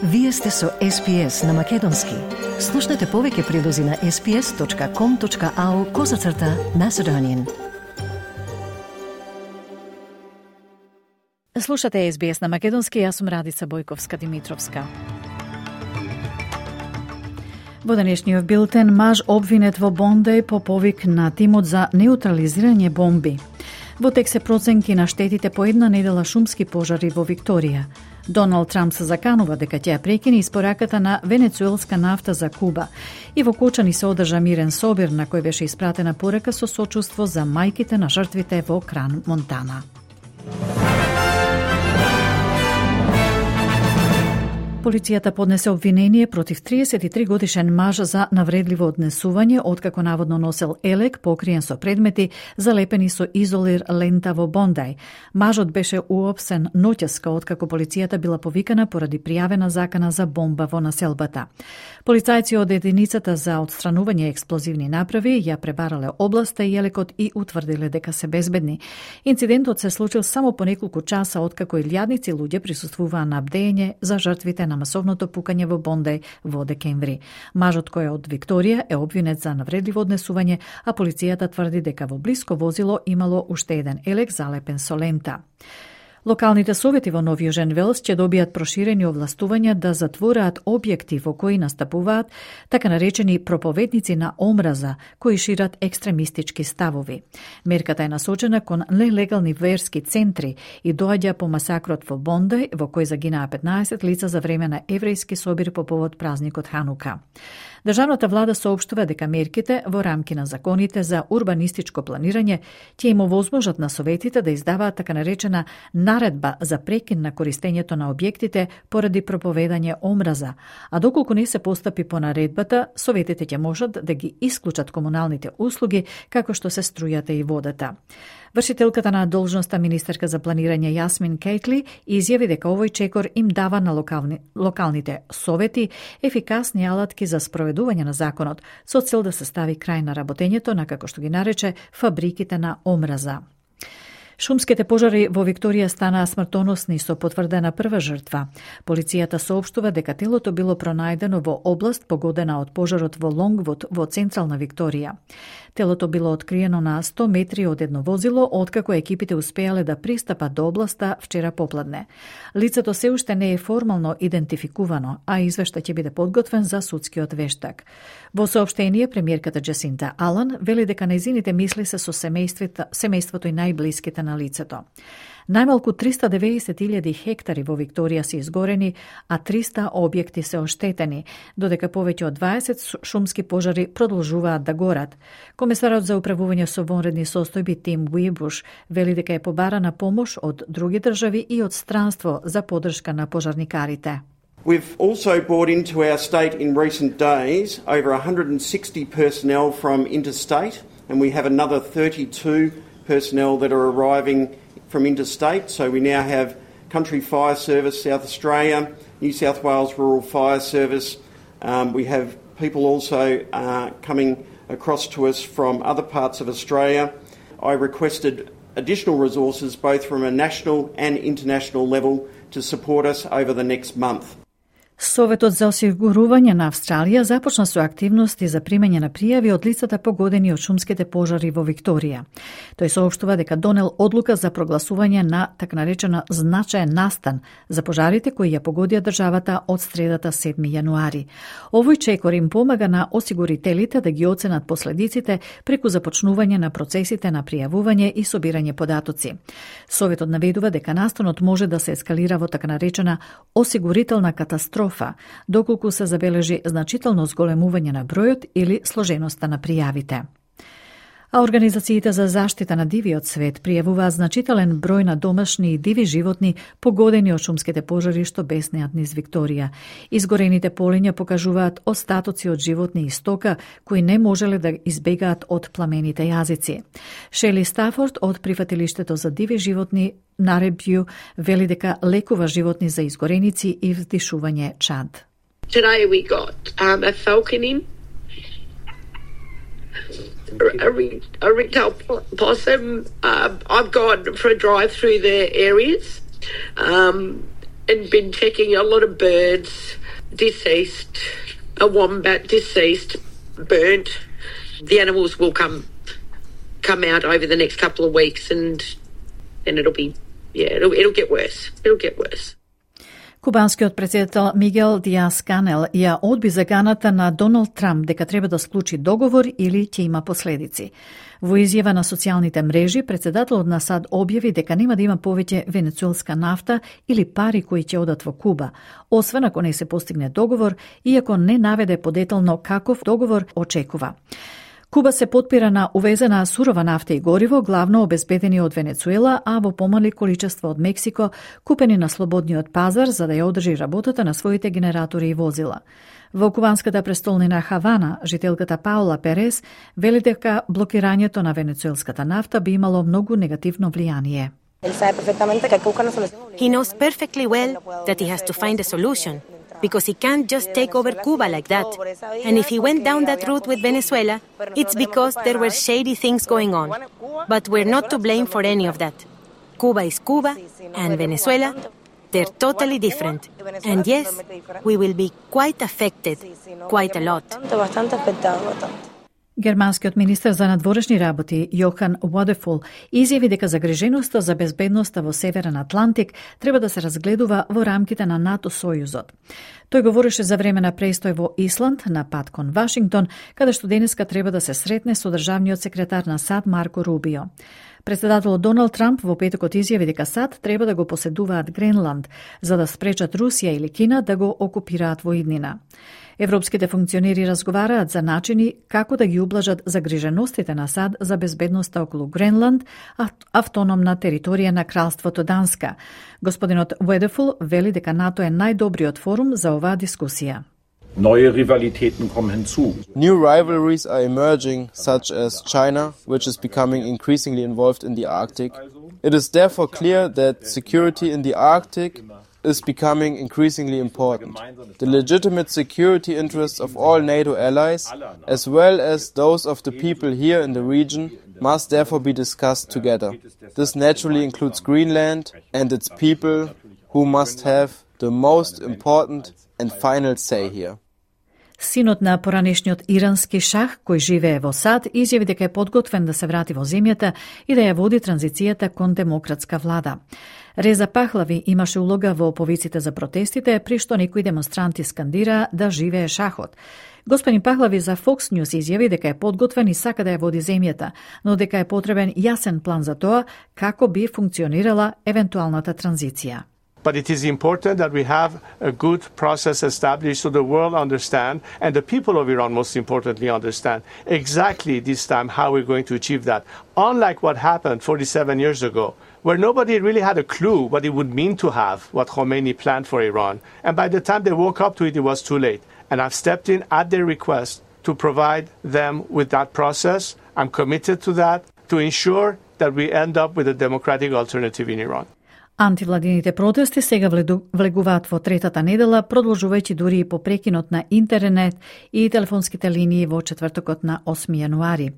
Вие сте со SPS на Македонски. Слушнете повеќе прилози на sps.com.au/Macedonian. Слушате SBS на Македонски, јас сум Радица Бојковска-Димитровска. Во денешниот билтен, маж обвинет во Бондеј по повик на тимот за неутрализирање бомби. Во тек се проценки на штетите по една недела шумски пожари во Викторија. Доналд Трамп се заканува дека ќе ја прекине испораката на венецуелска нафта за Куба. И во Кочани се одржа мирен собир на кој беше испратена порака со сочувство за мајките на жртвите во Кран, Монтана. Полицијата поднесе обвинение против 33-годишен маж за навредливо однесување, откако наводно носел елек покриен со предмети залепени со изолир лента во Бондеј. Мажот беше уопсен ноќеска откако полицијата била повикана поради пријавена закана за бомба во населбата. Полицајци од единицата за отстранување експлозивни направи ја пребарале областа и елекот и утврдиле дека се безбедни. Инцидентот се случил само по неколку часа откако илјадници луѓе присуствуваа на бдење за жртвите на масовното пукање во Бондеј во декември. Мажот кој е од Викторија е обвинет за навредливо однесување, а полицијата тврди дека во блиско возило имало уште еден елек залепен со лента. Локалните совети во Нов Јужен Велс ќе добијат проширени овластувања да затвораат објекти во кои настапуваат така наречени проповедници на омраза, кои шират екстремистички ставови. Мерката е насочена кон нелегални верски центри и доаѓа по масакрот во Бондеј, во кој загинаа 15 лица за време на еврејски собир по повод празникот Ханука. Државната влада соопштува дека мерките во рамки на законите за урбанистичко планирање ќе им овозможат на советите да издаваат така наречена наредба за прекин на користењето на објектите поради проповедање омраза, а доколку не се постапи по наредбата, советите ќе можат да ги исклучат комуналните услуги како што се струјата и водата. Вршителката на должноста министерка за планирање Јасмин Кейтли изјави дека овој чекор им дава на локалните совети ефикасни алатки за спроведување на законот со цел да се стави крај на работењето на, како што ги нарече, фабриките на омраза. Шумските пожари во Викторија станаа смртоносни со потврдена прва жртва. Полицијата соопштува дека телото било пронајдено во област погодена од пожарот во Лонгвуд во централна Викторија. Телото било откриено на 100 метри од едно возило, откако екипите успеале да пристапат до областа вчера попладне. Лицето се уште не е формално идентификувано, а извештај ќе биде подготвен за судскиот вештак. Во соопштение, премиерката Джасинта Алан вели дека нејзините мисли се со семејството и најблиските на лицето. Најмалку 390.000 хектари во Викторија се изгорени, а 300 објекти се оштетени, додека повеќе од 20 шумски пожари продолжуваат да горат. Комесарот за управување со вонредни состојби Тим Уибуш вели дека е побарана помош од други држави и од странство за поддршка на пожарникарите. We've also brought into our state in recent days over 160 personnel from interstate, and we have another 32 personnel that are arriving from interstate. So we now have Country Fire Service, South Australia, New South Wales Rural Fire Service. We have people also coming across to us from other parts of Australia. I requested additional resources both from a national and international level to support us over the next month. Советот за осигурување на Австралија започна со активности за примање на пријави од лицата погодени од шумските пожари во Викторија. Тој соопштува дека донел одлука за прогласување на така наречена значаен настан за пожарите кои ја погодија државата од средата 7 јануари. Овој чекор им помага на осигурителите да ги оценат последиците преку започнување на процесите на пријавување и собирање податоци. Советот наведува дека настанот може да се ескалира во така наречена осигурителна катастрофа, доколку се забележи значително зголемување на бројот или сложеноста на пријавите. А организациите за заштита на дивиот свет пријавуваат значителен број на домашни и диви животни погодени од шумските пожари што беснеат низ Викторија. Изгорените полиња покажуваат остатоци од животни и стока кои не можеле да избегаат од пламените јазици. Шели Стафорд од прифатилиштето за диви животни Наребју вели дека лекува животни за изгореници и вдишување чад. Today we got a falcon in, a ringtail possum. I've gone for a drive through the areas. and been checking a lot of birds, deceased, a wombat deceased, burnt. The animals will come out over the next couple of weeks, and then it'll get worse. It'll get worse. Кубанскиот претседател Мигел Диас Канел ја одби заканата на Доналд Трамп дека треба да склучи договор или ќе има последици. Во изјава на социјалните мрежи, претседателот на САД објави дека нема да има повеќе венецуелска нафта или пари кои ќе одат во Куба, освен ако не се постигне договор, иако не наведе подетално каков договор очекува. Куба се потпира на увезена сурова нафта и гориво, главно обезбедени од Венецуела, а во помали количество од Мексико, купени на слободниот пазар за да ја одржи работата на своите генератори и возила. Во кубанската престолнина Хавана, жителката Паула Перес вели дека блокирањето на венецуелската нафта би имало многу негативно влијание. He knows perfectly well that he has to find a solution, because he can't just take over Cuba like that. And if he went down that route with Venezuela, it's because there were shady things going on. But we're not to blame for any of that. Cuba is Cuba, and Venezuela, they're totally different. And yes, we will be quite affected, quite a lot. Германскиот министер за надворешни работи Јохан Водефул изјави дека загриженоста за безбедноста во Северен Атлантик треба да се разгледува во рамките на НАТО-сојузот. Тој говореше за време на престој во Исланд на пат кон Вашингтон, каде што денеска треба да се сретне со државниот секретар на САД Марко Рубио. Претседателот Доналд Трамп во петокот изјави дека САД треба да го поседуваат Гренланд, за да спречат Русија или Кина да го окупираат во иднина. Европските функционери разговараат за начини како да ги ублажат загриженостите на САД за безбедноста околу Гренланд, автономна територија на Кралството Данска. Господинот Wedeful вели дека НАТО е најдобриот форум за оваа дискусија. Neue Rivalitäten kommen hinzu. New rivalries are emerging, such as China, which is becoming increasingly involved in the Arctic. It is therefore clear that security in the Arctic is becoming increasingly important. The legitimate security interests of all NATO allies, as well as those of the people here in the region, must therefore be discussed together. This naturally includes Greenland and its people, who must have the most important and final say here. Синот на поранешниот ирански шах, кој живее во САД, изјави дека е подготвен да се врати во земјата и да ја води транзицијата кон демократска влада. Реза Пахлави имаше улога во повиците за протестите, при што некои демонстранти скандира да живее шахот. Господин Пахлави за Fox News изјави дека е подготвен и сака да ја води земјата, но дека е потребен јасен план за тоа како би функционирала евентуалната транзиција. But it is important that we have a good process established so the world understand and the people of Iran most importantly understand exactly this time how we're going to achieve that. Unlike what happened 47 years ago, where nobody really had a clue what it would mean to have what Khomeini planned for Iran. And by the time they woke up to it, it was too late. And I've stepped in at their request to provide them with that process. I'm committed to that, to ensure that we end up with a democratic alternative in Iran. Антивладините протести сега влегуваат во третата недела, продолжувајќи дури и по прекинот на интернет и телефонските линии во четвртокот на 8 јануари.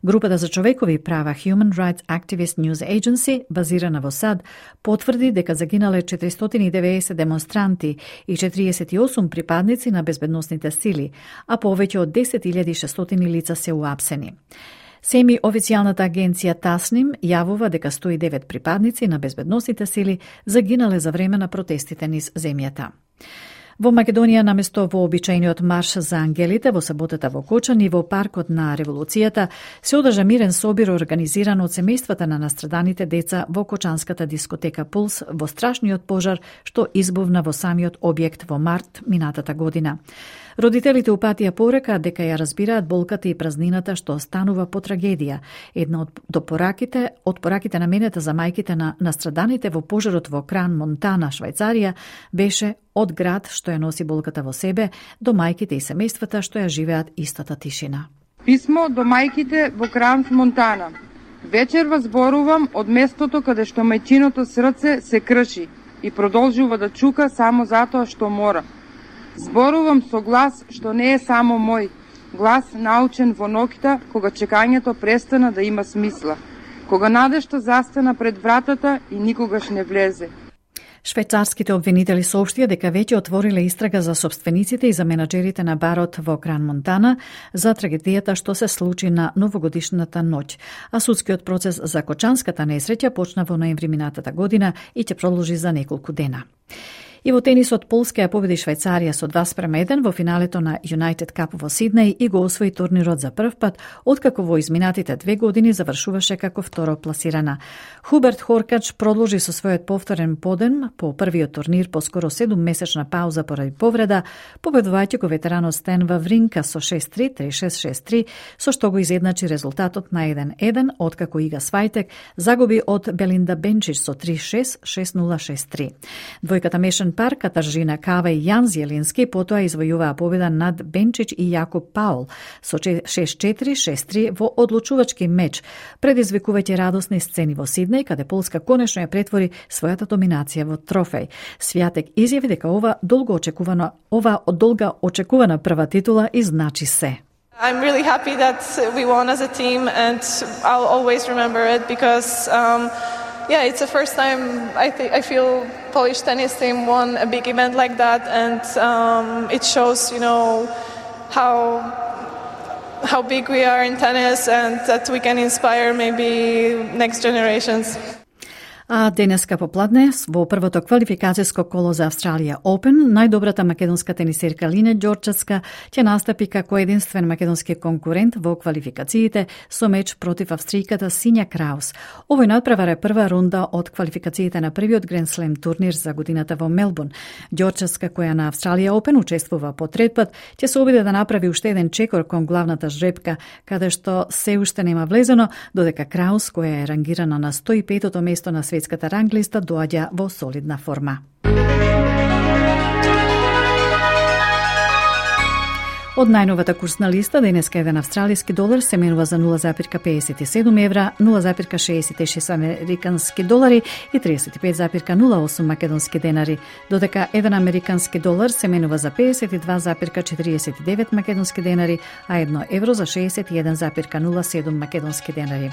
Групата за човекови права Human Rights Activist News Agency, базирана во САД, потврди дека загинале 490 демонстранти и 48 припадници на безбедносните сили, а повеќе од 10.600 лица се уапсени. Семи официјалната агенција Тасним јавува дека 109 припадници на безбедносните сили загинале за време на протестите низ земјата. Во Македонија, наместо вообичајниот марш за ангелите во саботата во Кочани во паркот на Револуцијата, се одржа мирен собир организиран од семејствата на настраданите деца во кочанската дискотека Пулс во страшниот пожар што избувна во самиот објект во март минатата година. Родителите упатија порека дека ја разбираат болката и празнината што останува по трагедија. Една од пораките наменета за мајките на настраданите во пожарот во Кран, Монтана, Швајцарија, беше од град што ја носи болката во себе до мајките и семејствата што ја живеат истата тишина. Писмо до мајките во Кран, Монтана. Вечер вас зборувам од местото каде што мајчиното срце се крши и продолжува да чука само затоа што мора. Зборувам со глас што не е само мој, глас научен во ноќта кога чекањето престана да има смисла, кога надежта застана пред вратата и никогаш не влезе. Швајцарските обвинители соопштија дека веќе отвориле истрага за сопствениците и за менаџерите на барот во Кран Монтана за трагедијата што се случи на новогодишната ноќ, а судскиот процес за кочанската несреќа почна во ноември минатата година и ќе продолжи за неколку дена. И во тенисот Полска ја победи Швајцарија со 2:1 во финалето на United Cup во Сиднеј и го освои турнирот за прв пат, откако во изминатите 2 години завршуваше како второ пласирана. Хуберт Хоркач продолжи со својот повторен подем по првиот турнир по скоро 7-месечна пауза поради повреда, победувајќи го ветеранот Стен Вавринка со 6-3, 3-6, 6-3, со што го изедначи резултатот на 1-1, откако Ига Свајтек загуби од Белинда Бенчич со 3-6, 6-0, 6-3. Двојката мешан пар Катаржина Кава и Јан Зелински потоа извојуваа победа над Бенчич и Јакоб Паул со 6-4, 6-3 во одлучувачки меч, предизвикувајќи радосни сцени во Сиднеј, каде Полска конечно ја претвори својата доминација во трофеј. Свјатек изјави дека ова долго очекувана прва титула изначи се. I'm really happy that we won as a team, and I'll always remember it because it's the first time I feel Polish tennis team won a big event like that, and it shows, how big we are in tennis and that we can inspire maybe next generations. А денеска попладне во првото квалификацијско коло за Австралија Open, најдобрата македонска тенисерка Лине Ѓорчевска ќе настапи како единствен македонски конкурент во квалификациите со меч против австријката Синја Краус. Овој надпревар е прва рунда од квалификациите на првиот Grand Slam турнир за годината во Мелбурн. Ѓорчевска, која на Австралија Open учествува по трет пат, ќе се обиде да направи уште еден чекор кон главната жребка, каде што се уште нема влезено, додека Краус, која е рангирана на 105-то место на светската ранглиста, доаѓа во солидна форма. Од најновата курсна листа, денеска еден австралиски долар се менува за 0,57 евра, 0,66 американски долари и 35,08 македонски денари, додека еден американски долар се менува за 52,49 македонски денари, а 1 евро за 61,07 македонски денари.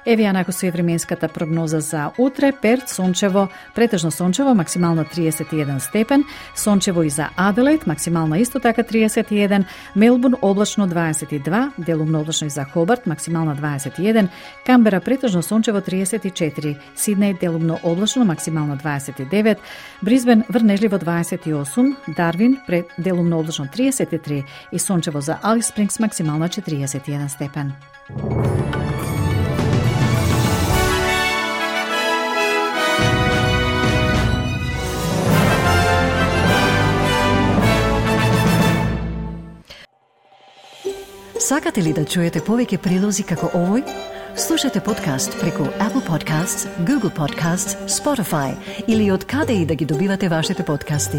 Еве ја накусува временската прогноза за утре. Перт сончево, претежно сончево, максимална 31 степен, сончево и за Аделаид, максимална исто така 31, Мелбурн облачно 22, делумно облачно и за Хобарт, максимална 21, Камбера претежно сончево 34, Сиднеј делумно облачно, максимална 29, Бризбен врнежливо 28, Дарвин делумно облачно 33 и сончево за Алис Спрингс, максимална 41 степен. Сакате ли да чуете повеќе прилози како овој? Слушате подкаст преку Apple Podcasts, Google Podcasts, Spotify или од каде и да ги добивате вашите подкасти.